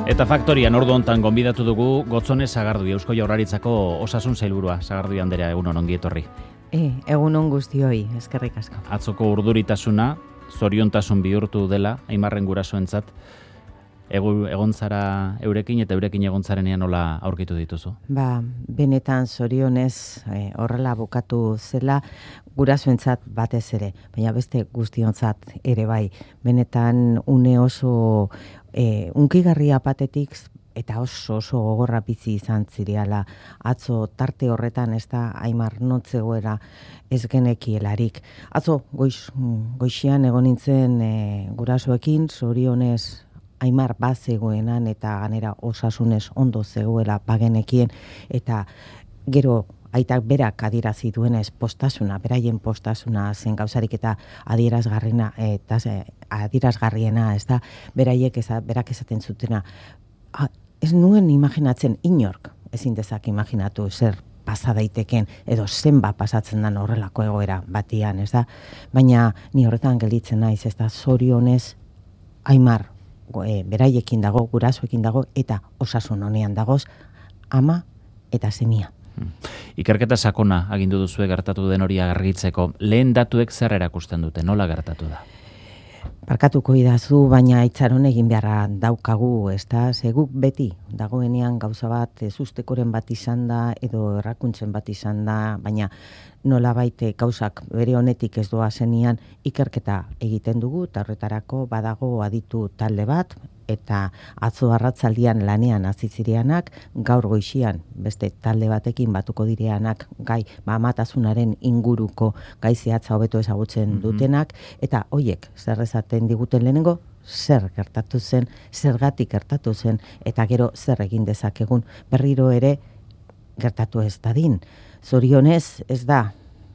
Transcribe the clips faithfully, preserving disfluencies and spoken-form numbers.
Eta faktorian ordu hontan gonbidatu dugu Gotzone Sagardui, Eusko Jaurlaritzako Osasun Sailburua. Sagardui andrea, egunon ongi etorri. E, egunon guztioi, eskerrik asko. Atzoko urduritasuna, zoriontasun bihurtu dela, Aimarren gurasoentzat, egu, egon zara eurekin eta eurekin egon zarenean nola aurkitu dituzu? Ba, benetan zorionez e, horrela bukatu zela, gurasoentzat batez ere, baina beste guztiontzat ere bai. Benetan une oso e, unkigarria patetik eta oso oso gogorra bizi izan zireala. Atzo tarte horretan ez da Aimar notzegoera ez genekielarik. Atzo goiz, goixian egon nintzen e, gurasoekin, zorionez Aimar bazegoenan eta ganera osasunez ondo zegoela bagenekien, eta gero aitak berak adierazi duenez postasuna, beraien postasuna zen gauzarik eta adierazgarriena eta adierazgarriena, ez da, beraiek eza, berak esaten zutena. A, ez nuen imaginatzen inork, ezin dezak imaginatu zer pasa daiteken edo zenba pasatzen den horrelako egoera batian, ez da, baina ni horretan gelditzen naiz, ez da, zorionez Aimar e, beraiekin dago, gurasoekin dago eta osasun honean dagoz ama eta semia. Ikerketa sakona agindu duzue gertatu den hori argitzeko. Lehen datuek zer erakusten dute, nola gertatu da? Barkatuko idazu, baina itxaron egin beharra daukagu, ez da, zeguk beti dagoenean gauza bat ezustekoren bat izan da edo errakuntzen bat izan da, baina nola baite gauzak bere honetik ez doa zenian ikerketa egiten dugu, eta horretarako badago aditu talde bat, eta atzo arratzaldian lanean hasi zireanak, gaur goixian beste talde batekin batuko direanak gai ba, amatasunaren inguruko gai zehatza hobeto ezagutzen dutenak, eta hoiek zer esaten diguten lehenengo, zer gertatu zen, zergatik gertatu zen, eta gero zer egin dezakegun berriro ere gertatu ez dadin. Zorionez ez da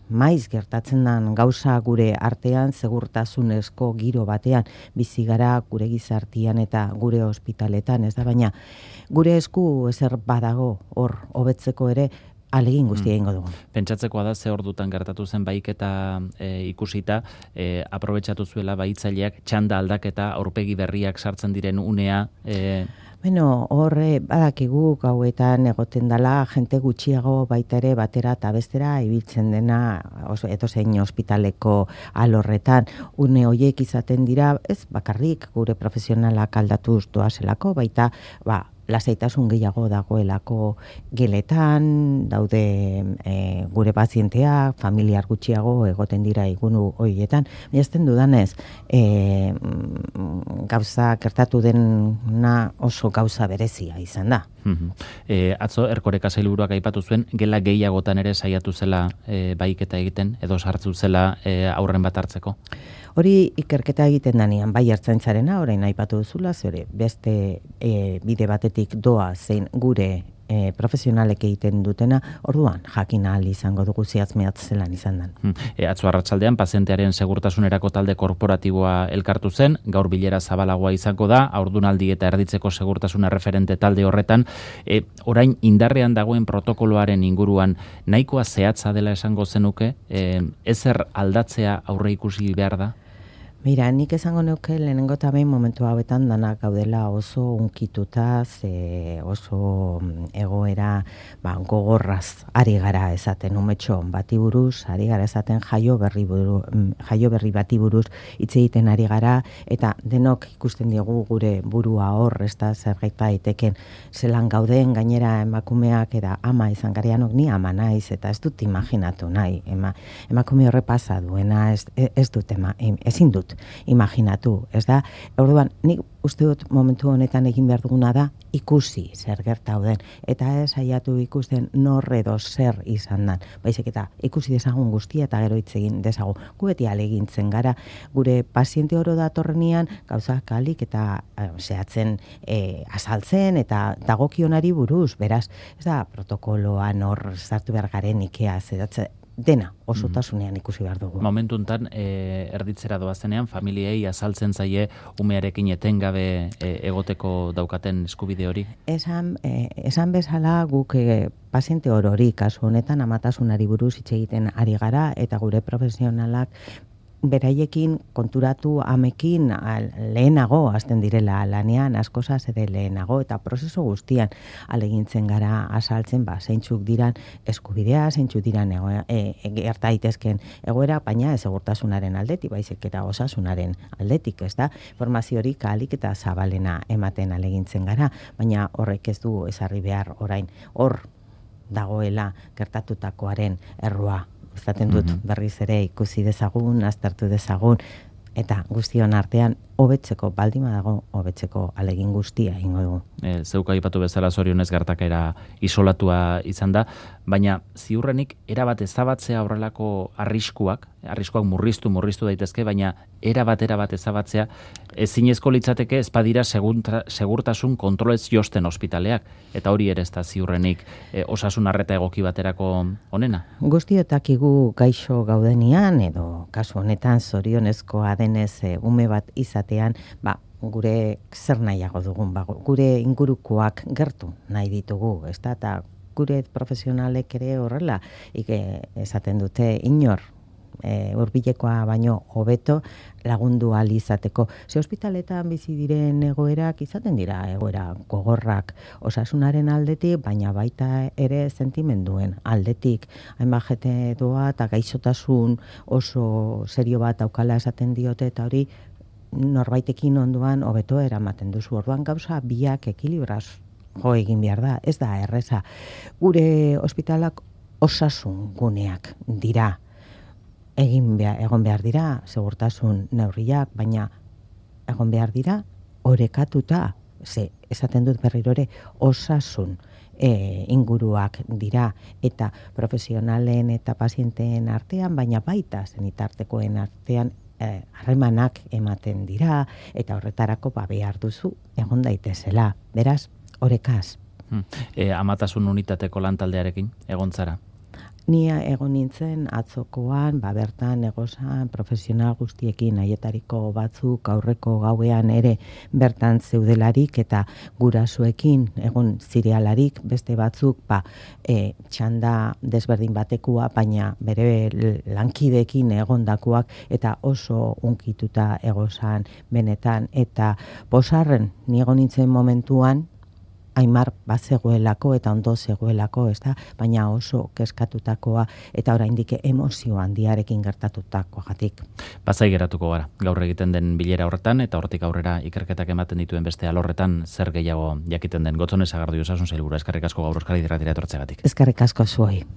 maiz gertatzen den gauza gure artean, segurtasunezko giro batean bizi gara gure gizartian eta gure ospitaletan, ez da, baina gure esku ezer badago hor hobetzeko ere alegin guztia egingo dugu. Pentsatzekoa da ze ordutan gertatu zen baiketa e, ikusita, e, aprobetxatu zuela baitzaileak txanda aldaketa aurpegi berriak sartzen diren unea. E... Bueno, horre badakigu gauetan egoten dela jente gutxiago baita ere batera eta bestera ibiltzen dena edozein ospitaleko alorretan. Une horiek izaten dira, ez bakarrik gure profesionalak aldatuz doazelako, baita ba, lasaitasun gehiago dagoelako geletan, daude e, gure pazienteak, familiar gutxiago egoten dira igunu horietan. Baina dudanez, e, gauza gertatu dena oso gauza berezia izan da. Mm-hmm. E, atzo Erkoreka sailburuak aipatu zuen, gela gehiagotan ere saiatu zela e, baiketa egiten, edo sartzu zela e, aurren bat hartzeko? Hori ikerketa egiten danean, bai ertzaintzarena, orain aipatu duzula, zure beste e, bide batetik doa zein gure e, profesionalek egiten dutena, orduan jakin ahal izango dugu ziatz mehatz zelan izan den. Hmm. E, atzo arratsaldean pazientearen segurtasunerako talde korporatiboa elkartu zen, gaur bilera zabalagoa izango da, haurdunaldi eta erditzeko segurtasuna referente talde horretan, e, orain indarrean dagoen protokoloaren inguruan nahikoa zehatza dela esango zenuke, e, ezer aldatzea aurre ikusi behar da? Mira, nik esango neuke lehenengo eta behin momentu hauetan danak gaudela oso unkituta, ze oso egoera ba, gogorraz ari gara esaten umetxo bati buruz, ari gara esaten jaio berri, buru, jaio berri bati buruz hitz egiten ari gara, eta denok ikusten diegu gure burua hor, ez da zer daiteken zelan gauden, gainera emakumeak eta ama izan gareanok, ni ama naiz, eta ez dut imaginatu nahi, ema, emakume horre pasa duena, ez, ez dut, ema, ezin dut imaginatu, ez da? Orduan, nik uste dut momentu honetan egin behar duguna da ikusi zer gertauden, eta ez saiatu ikusten nor edo zer izan dan. Baizik eta ikusi dezagun guztia eta gero hitz egin dezagun. Gu beti ahalegintzen gara, gure paziente oro datorrenean gauzak ahalik eta eh, zehatzen eh, azaltzen eta dagokionari buruz, beraz, ez da protokoloan hor sartu behar garen ikea zedatzen, dena osotasunean ikusi behar dugu. Momentu enten, e, erditzera doazenean, familiei azaltzen zaie umearekin etengabe e, egoteko daukaten eskubide hori? Esan, e, esan bezala guk e, paziente orori kasu honetan amatasunari buruz hitz egiten ari gara, eta gure profesionalak beraiekin konturatu amekin al, lehenago hasten direla lanean, askozaz ere lehenago, eta prozesu guztian alegintzen gara azaltzen, ba, zeintzuk diran eskubidea, zeintzuk diran ego, e, gerta daitezken egoera, baina ez segurtasunaren aldetik, baizik eta osasunaren aldetik, ez da? Informaziorik ahalik eta zabalena ematen alegintzen gara, baina horrek ez du ezarri behar orain, hor dagoela gertatutakoaren errua. Izaten dut berriz ere ikusi dezagun, aztertu dezagun, eta guztion artean hobetzeko, baldima dago hobetzeko alegin guztia ingo dugu. E, zeuka aipatu bezala zorionez gertakera isolatua izan da, baina ziurrenik erabat ezabatzea horrelako arriskuak, arriskuak murriztu, murriztu daitezke, baina erabat, erabat ezabatzea ezinezko litzateke ez badira segunta, segurtasun kontrolez josten ospitaleak, eta hori ere ez da ziurrenik e, osasun arreta egoki baterako onena. Guztiotakigu gaixo gaudenian, edo kasu honetan zorionezkoa denez e, ume bat izatean, ba, gure zer nahiago dugun, ba, gure ingurukoak gertu nahi ditugu, ez da, eta gure profesionalek ere horrela, ike esaten dute inor, e, urbilekoa baino hobeto lagundu ahal izateko. Ze ospitaletan bizi diren egoerak izaten dira egoera gogorrak osasunaren aldetik, baina baita ere sentimenduen aldetik. Hainbat jete doa eta gaixotasun oso serio bat daukala esaten diote, eta hori norbaitekin onduan hobeto eramaten duzu. Orduan gauza biak ekilibraz jo egin behar da, ez da erreza. Gure ospitalak osasun guneak dira. Egin behar, egon behar dira segurtasun neurriak, baina egon behar dira orekatuta, ze esaten dut berriro ere osasun e, inguruak dira, eta profesionalen eta pazienteen artean, baina baita zenitartekoen artean harremanak ematen dira, eta horretarako ba behar duzu egon daitezela. Beraz, orekaz. Hmm. E, amatasun unitateko lantaldearekin egon zara? Ni egon nintzen atzokoan, ba bertan egozan profesional guztiekin, haietariko batzuk aurreko gauean ere bertan zeudelarik, eta gurasoekin egon zirealarik, beste batzuk ba, e, txanda desberdin batekua, baina bere lankideekin egondakoak, eta oso unkituta egozan benetan, eta posarren ni egon nintzen momentuan, Aimar bazegoelako eta ondo zegoelako, ez da, baina oso keskatutakoa eta oraindik emozio handiarekin gertatutakoagatik. Bazai geratuko gara, gaur egiten den bilera horretan, eta hortik aurrera ikerketak ematen dituen beste alorretan zer gehiago jakiten den. Gotzone Sagardu Osasun Sailburua, eskerrik asko gaur Euskadi Irratira etortzeagatik. Eskerrik asko zuoi.